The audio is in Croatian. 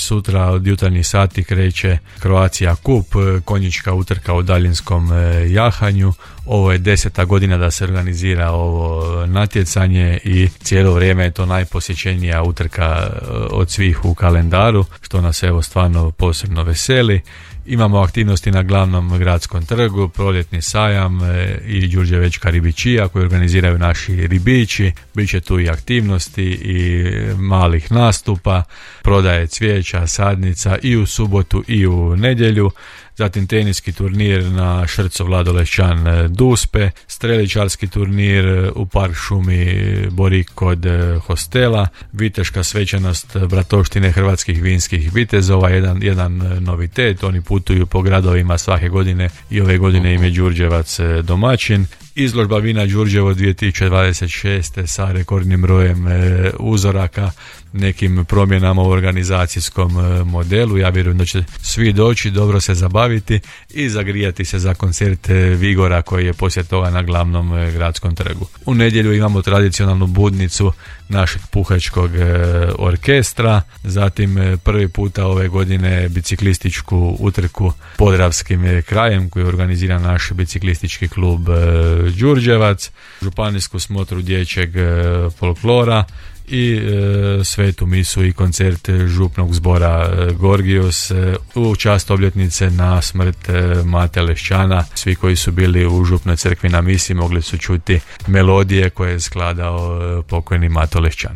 sutra od jutarnjih sati kreće Croatia Cup, konjička utrka u daljinskom jahanju. Ovo je 10. godina da se organizira ovo natjecanje i cijelo vrijeme je to najposjećenija utrka od svih u kalendaru, što nas evo stvarno posebno veseli. Imamo aktivnosti na glavnom gradskom trgu, proljetni sajam i Đurđevečka ribičija koju organiziraju naši ribiči. Biće tu i aktivnosti i malih nastupa, prodaje cvijeća, sadnica i u subotu i u nedjelju. Zatim teniski turnir na Šrco Vlado Lešćan Duspe, streličarski turnir u park šumi Borik kod hostela, viteška svečanost Bratovštine hrvatskih vinskih vitezova, jedan novitet, oni putuju po gradovima svake godine i ove godine im je Đurđevac domaćin. Izložba vina Đurđevo 2026. sa rekordnim brojem uzoraka, nekim promjenama u organizacijskom modelu. Ja vjerujem da će svi doći, dobro se zabaviti i zagrijati se za koncert Vigora koji je poslije toga na glavnom gradskom trgu. U nedjelju imamo tradicionalnu budnicu našeg puhačkog orkestra, zatim prvi puta ove godine biciklističku utrku Podravskim krajem koji organizira naš biciklistički klub Đurđevac, županijsku smotru dječjeg folklora i svetu misu i koncert župnog zbora Gorgios u čast obljetnice na smrt Mate Lešćana. Svi koji su bili u župnoj crkvi na misi mogli su čuti melodije koje je skladao pokojni Mato Lešćan.